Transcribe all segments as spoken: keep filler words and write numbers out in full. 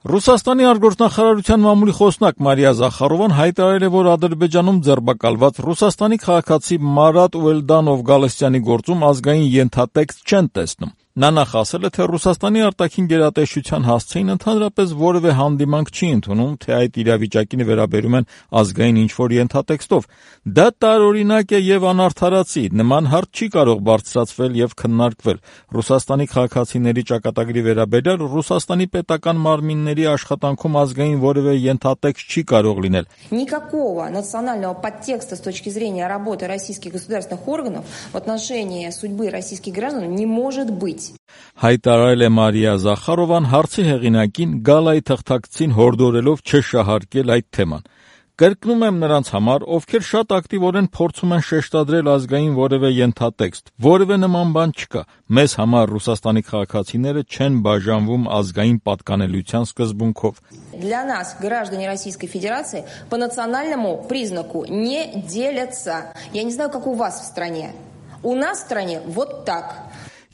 Ռուսաստանի արտգործնախարարության մամուլի խոսնակ Մարիա Զախարովան հայտարարել է, որ Ադրբեջանում ձերբակալված Ռուսաստանի քաղաքացի Մարատ Ուելդանով Գալստյանի գործում ազգային ենթատեքստ չեն տեսնում։ Նա նախ ասել է, թե Ռուսաստանի արտաքին գերատեսչության հասցեին ընդհանրապես որևէ հանդիմանք չի ընդունում, թե այդ իրավիճակին վերաբերում են ազգային ինչ-որ ենթատեքստով։ Դա տարօրինակ է եւ անարդարացի, նման հարց չի կարող բարձրացվել եւ քննարկվել։ Ռուսաստանի քաղաքացիների ճակատագրի վերաբերյալ Ռուսաստանի պետական մարմինների աշխատանքում ազգային որևէ ենթատեքստ չի կարող լինել։ Никакого национального подтекста с точки зрения работы российских государственных органов в отношении судьбы российских граждан не может быть. Հայտարարել է Մարիա Զախարովան հարցի հեղինակին գալայի թղթակցին հորդորելով չշահարկել այդ թեման։ Կրկնում եմ նրանց համար, ովքեր շատ ակտիվորեն փորձում են շեշտադրել ազգային որևէ ենթատեքստ, որևէ нման բան չկա։ Մեզ համար Ռուսաստանի քաղաքացիները չեն բաժանվում ազգային պատկանելիության սկզբունքով։ Для нас граждане Российской Федерации по национальному признаку не делятся. Я не знаю, как у вас в стране. У нас в стране вот так.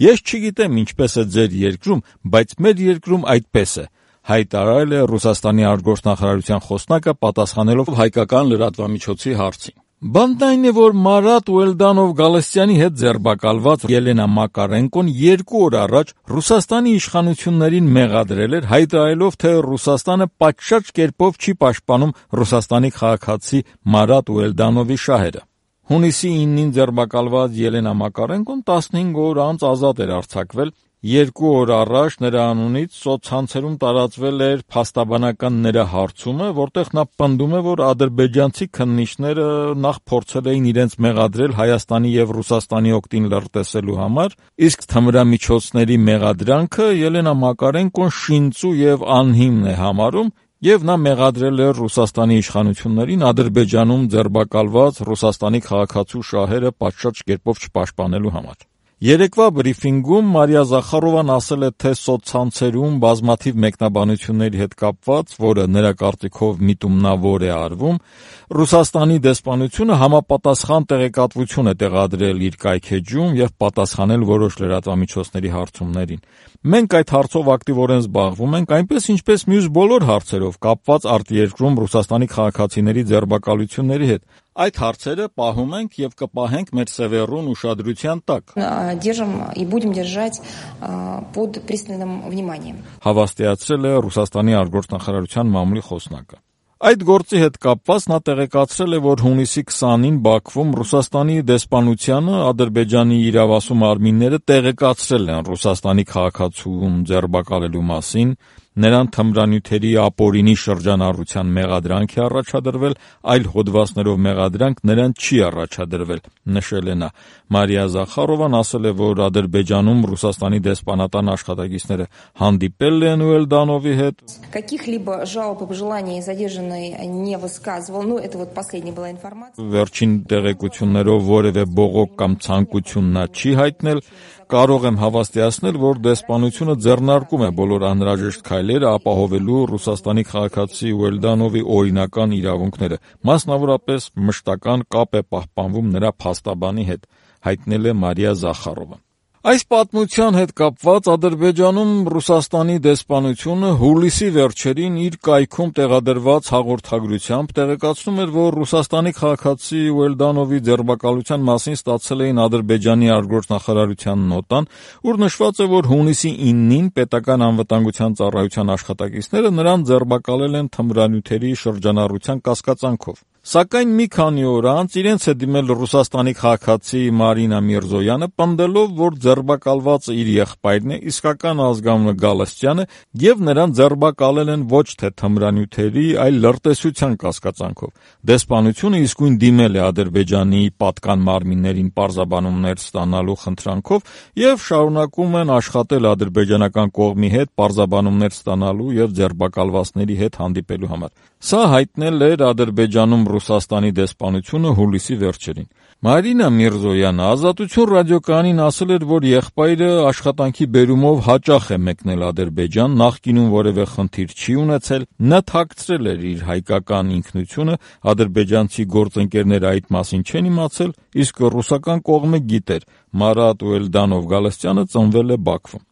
Ես չգիտեմ ինչպես է ձեր երկրում, բայց մեր երկրում այդպես է, հայտարարել է Ռուսաստանի արտգործնախարարության խոսնակը պատասխանելով հայկական լրատվամիջոցի հարցին։ Բանն այն է, որ Մարատ Ուելդանով Գալստյանի հետ ձերբակալված Ելենա Մակարենկոն երկու օր առաջ Ռուսաստանի իշխանություններին մեղադրել էր, հայտարարելով, թե Ռուսաստանը պատշաճ կերպով չի պաշտպանում Ռուսաստանի քաղաքացի Մարատ Ուելդանովի շահերը։ Հունիսի իննին ձերբակալված Ելենա Մակարենկոն տասնհինգ օր անց ազատ էր արձակվել։ Երկու օր առաջ նրա անունից սոցցանցերում տարածվել էր փաստաբանական նրա հարցումը, որտեղ նա պնդում է, որ ադրբեջանցի քննիչները նախ փորձել էին իրենց մեղադրել Հայաստանի եւ Ռուսաստանի օգտին լրտեսելու համար, իսկ թմրամիջոցների մեղադրանքը Ելենա Մակարենկոն շինծու եւ անհիմն է համարում, եւ նա մեղադրել է Ռուսաստանի իշխանություններին Ադրբեջանում ձերբակալված Ռուսաստանի քաղաքացու շահերը պատշաճ կերպով չպաշտպանելու համար։ Երեկվա բրիֆինգում Մարիա Զախարովան ասել է, թե սոցցանցերում բազմաթիվ մեկնաբանությունների հետ կապված, որը նրա կարծիքով միտումնավոր է արվում, Ռուսաստանի դեսպանությունը համապատասխան տեղեկատվություն է տեղադրել իր կայքեջում եւ պատասխանել որոշ լրատվամիջոցների հարցումներին։ Մենք այդ հարցով ակտիվորեն զբաղվում ենք, այնպես ինչպես մյուս բոլոր հարցերով կապված արտերկրում Ռուսաստանի քաղաքացիների ձերբակալությունների հետ։ Այդ հարցերը պահում ենք եւ կպահենք մեր սևեռուն ուշադրության տակ։ Держим и будем держать под пристальным вниманием. Հավաստիացրել է Ռուսաստանի արտգործնախարարության մամուլի խոսնակը։ Այդ գործի հետ կապված նա տեղեկացրել է, որ հունիսի քսանին Բաքվում Ռուսաստանի դեսպանությանը Ադրբեջանի իրավասու մարմինները տեղեկացրել են Ռուսաստանի քաղաքացուն ձերբակալելու մասին, նրան թմրանյութերի ապօրինի շրջանառության մեղադրանք է առաջադրվել, այլ հոդվածներով մեղադրանք նրան չի առաջադրվել, նշել է նա։ Մարիա Զախարովան ասել է, որ Ադրբեջանում Ռուսաստանի դեսպանատան աշխատակիցները հանդիպել են Ուելդանովի հետ։ Каких-либо жалоб и пожеланий задержанный не высказывал. Ну, это вот последняя была информация. Վերջին տեղեկություններով որևէ բողոք կամ ցանկություն նա չի հայտնել։ Կարող եմ հավաստիացնել, որ դեսպանությունը ձեռնարկում է բոլոր անհրաժեշտ քայլերը ապահովելու Ռուսաստանի քաղաքացի Ուելդանովի օրինական իրավունքները, մասնավորապես մշտական կապ է պահպանվում նրա փաստաբանի հետ, հայտնել է Մարիա Զախարովան։ Այս պատմության հետ կապված Ադրբեջանում Ռուսաստանի դեսպանությունը հուլիսի վերջերին իր կայքում տեղադրված հաղորդագրությամբ տեղեկացնում էր, որ Ռուսաստանի քաղաքացի Ուելդանովի ձերբակալության մասին ստացել էին Ադրբեջանի արտգործնախարարության նոտան, ուր նշված է, որ հունիսի իննին պետական անվտանգության ծառայության աշխատակիցները նրան ձերբակալել են թմրանյութերի շրջանառության կասկածանքով։ Սակայն մի քանի օր անց իրենց է դիմել Ռուսաստանի քաղաքացի Մարինա Միրզոյանը, պնդելով, որ ձերբակալվածը իր եղբայրն է, իսկական ազգանունը Գալստյանը, եւ նրան ձերբակալել են ոչ թե թմրանյութերի, այլ լրտեսության կասկածանքով։ Դեսպանությունը իսկույն դիմել է Ադրբեջանի պատկան մարմիններին պարզաբանումներ ստանալու խնդրանքով եւ շարունակում են աշխատել ադրբեջանական կողմի հետ պարզաբանումներ ստանալու եւ ձերբակալվածների հետ հանդիպելու համար։ Սա հայտնել էր Ադրբեջանում Ռուսաստանի դեսպանությունը հուլիսի վերջերին։ Մարինա Միրզոյանը Ազատություն ռադիոկայանին ասել էր, որ եղբայրը աշխատանքի բերումով հաճախ է մեկնել Ադրբեջան, նախկինում որևէ խնդիր չի ունեցել, նա թաքցրել էր իր հայկական ինքնությունը, ադրբեջանցի գործընկերները այդ մասին չեն իմացել, իսկ ռուսական կողմը գիտեր, Մարատ Ուելդանով Գալստյանը ծնվել է Բաքվում։